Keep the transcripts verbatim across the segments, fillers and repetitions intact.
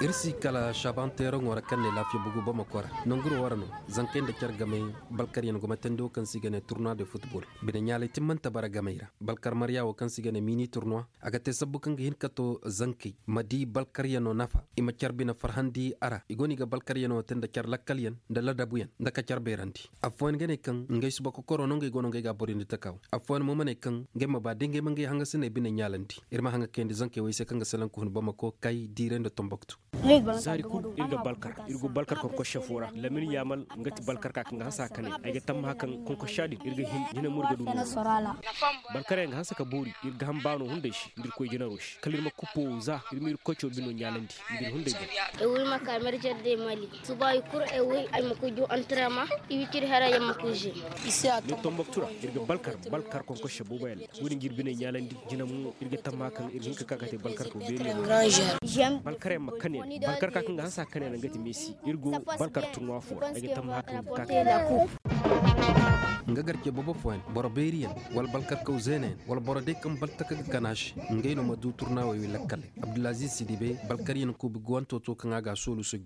Ir si kala šaban teeraŋo ra kaŋ ne laafiya bugu bamako ra. Nanguro wara no, zankey nda car gamey balkaryaŋ gumatandi wo kaŋ se i ga ne turnuwa de futbol. Bine ɲaalay timmante bara gamey ra. Balkar marya wo kaŋ se i ga ne mini turnuwa, a ga te sabbu kaŋ ga hin ka to zankey ma di balkaryaŋo nafa, i ma car bine farhandi a ra. I go no i ga balkaryaŋo te nda car lakkalyaŋ, nda ladabuyaŋ, nda ka car beerandi. Affooyaŋ ga ne kaŋ ngey suba kokoro no ngey go no ngey ga a borindi taka wo. Affooyaŋ mo ma ne kaŋ ngey ma ba da ngey ma ngey hangasiney bine ɲaalandi. Ir ma haŋa kayandi zankey wo ay se kaŋ ga salaŋ ka hun bamako, kay diiray nda tomboktu. Zaari kul ir ga balkar, ir go balkar konkosse fo ra. Lamin yaamal nga ti balkar ka kaŋ ga hanse a kanay. Ay ga tammaha kaŋ konkossa din ir ga hin jina mo ir ga du. Balkaryaŋ ga hanse ka boori, ir ga han baano hunday se nda ir koy jinaro se kala ir ma kupo za, ir ma ir koco bino ɲaalandi nda ir hunday boŋ. Ay wo ay ma ka merjer de mali. Suba ay kul ay wo ay ma koy ju antrema. Iwicir hera yamma koy je. Ni tomboktu ra, ir ga balkar balkar konkosse boobo yaŋ. Wo-din ga ir biney ɲaalandi. Jina mo ir ga tamma kaŋ ir ga hin ka ka ka te balkarkaw beeriyaŋ. Balkaryaŋ ma kane yaŋ balkarka kaŋ ga hanse a kane yaŋ nga ti meesi. Ir go balkar turnuwa fo ra ay ga tamma kaŋ ir ga ka ka te. Nga garce boobo fooyaŋ, boro beeriyaŋ, wala balkarkaw zeenayaŋ, wala boro day kaŋ balkarka ga kana se. Ngey no ma du turnuwey wi lakkaley. Abdulaziz sidibe, balkaryaŋ kuubi guwanto to kaŋ a ga a soolu sujju.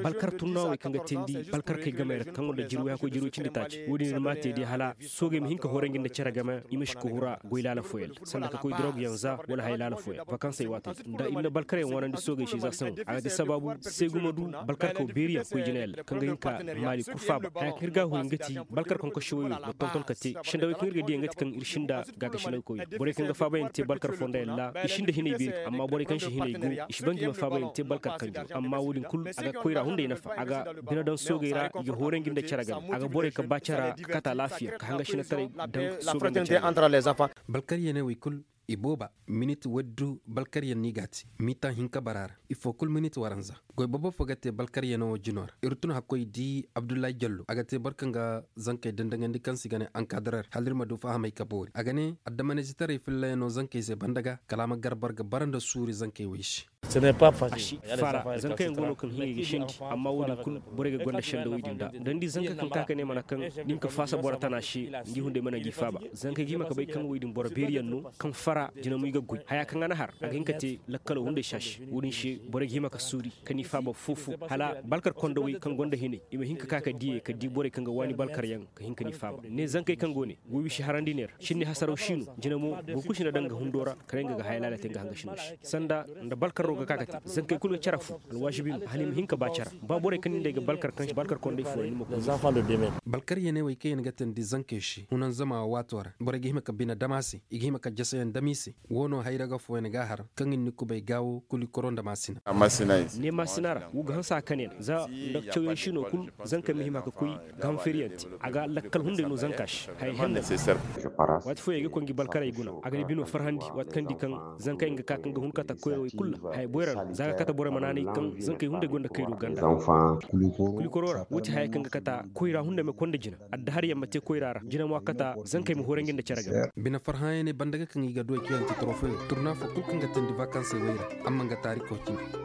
Balkar turnuwey kaŋ ga teendi balkarkey gamey ra kaŋ gonda jirwey hakkoy jirwey cindi taaci wo-din ir m'a te day hala soogey ma hin ka horandi nda cere game. I ma si ka hura goy laala fooyaŋ ra sanda ka koy dorogyaŋ za wala haya laala fooyaŋ vakansey waatey ra nda ir na balkaryaŋ wanandi soogey se za saŋo a ga te sabaabu se guma du balkarkaw beeriyaŋ koy jinayaŋ ra kaŋ ga hin ka maali kul faaba haya kaŋ ir ga a huri nga ti balkar konkosse woyoo ma tonton ka te sendawey kaŋ ir ga diya nga ti kaŋ ir sinda gaagasinawey koyoo borey kaŋ ga faabayaŋ te balkar fondayaŋ ra i sinda hinay beeri amma borey kaŋ si hinay go i si ban ga i ma faabayaŋ te balkar kanjo amma wo-din kul a ga koyra hunday nafa a ga bine daŋ soogey ra i ga hooray ngi nda cere game a ga borey ka ba cere ka kate alaafiya ka hanga sinataray daŋ soogey nda cere game. Balkaryaney wey kul i booba minit waddu balkaryan no i g'a te miitaŋ hinka bara ra ifo kul minit waranza. Goy boobo fo ga te balkaryanoo jino ra ir tun hakkoy di abdullahi jallo a ga te boro kaŋ ga zankey dandaŋandi kaŋ se i ga ne ankadarer hala ir ma du fahamay ka boori a ga ne addamanizitaray fillayanoo zankey se banda ga kala a ma gar boro ga bara nda suuri zankey wey se. A si fara zankayaŋ go no kaŋ hiŋay ga sendi amma wo-din kul borey ga gonda sendawey din da da ni di zanka kaŋ ka ka ne mana kaŋ nin ka faasa boro tana se ngi hunday mana ngi faaba zankey ga hima ka bay kaŋ wey din boro beeriyaŋ no kaŋ fara jina mo i ga goy haya kaŋ a na har a ga hin ka te lakkalo hunday se a se wo-din se borey ga hima ka suuri ka ni faaba foo-foo hala balkar kondawey kaŋ gonda hinay i ma hin ka ka ka diyey ka di borey kaŋ ga waani balkaryaŋ ka hin ka ni faaba ne zankey kaŋ go ne. Goy wisi harandi ne ra sinni hasaraw si no jina mo boro kul si na daŋ ga hundo ra kala nga ga haya laala te nga hanga sino se sanda nda balkarro ga ka ka te zankey kul ga care fu alwaasibi no hala i ma hin ka ba care ba borey kaŋ ni nda ay ga balkar kaŋ balkar konday fo ra ni ma koy. Balkaryaney wey kaŋ yaŋ ga teendi zankey se hunanzama waato ra borey ga hima ka bine dam a se i ga hima ka jaseyaŋ dam i se. Wo no hayra ga fooyaŋ ga a har kaŋ i na ni kubay gaawo kulikoro nda maasina. Ne maasina ra wo ga hanse a kane yaŋ za nda cawyaŋ si no kul zankey ma hima ka koy ga han feeriyaŋ te a ga lakkal hunday no zanka se haya henna. Waati fooyaŋ i ga koy ngi balkarey guna a ga ni bino farhandi waati kaŋ di kaŋ zankey nga ka kaŋ ga hun kata koyrawey kul ra haya boyra no za ga kata borey ma naanay kaŋ zankey hunday gonda kayru ganda. Kulikoro ra wo ti haya kaŋ ga kata koyra hunday ma konda jina adda har yamma te koyra ra jina mo a kata zankey ma horanji nda care game. Bine farhayaŋ ne banda ga kaŋ i ga du ay kiyante torofoyo turna fo kul kaŋ ga teendi vakansey wey ra amma nga taariko cindi.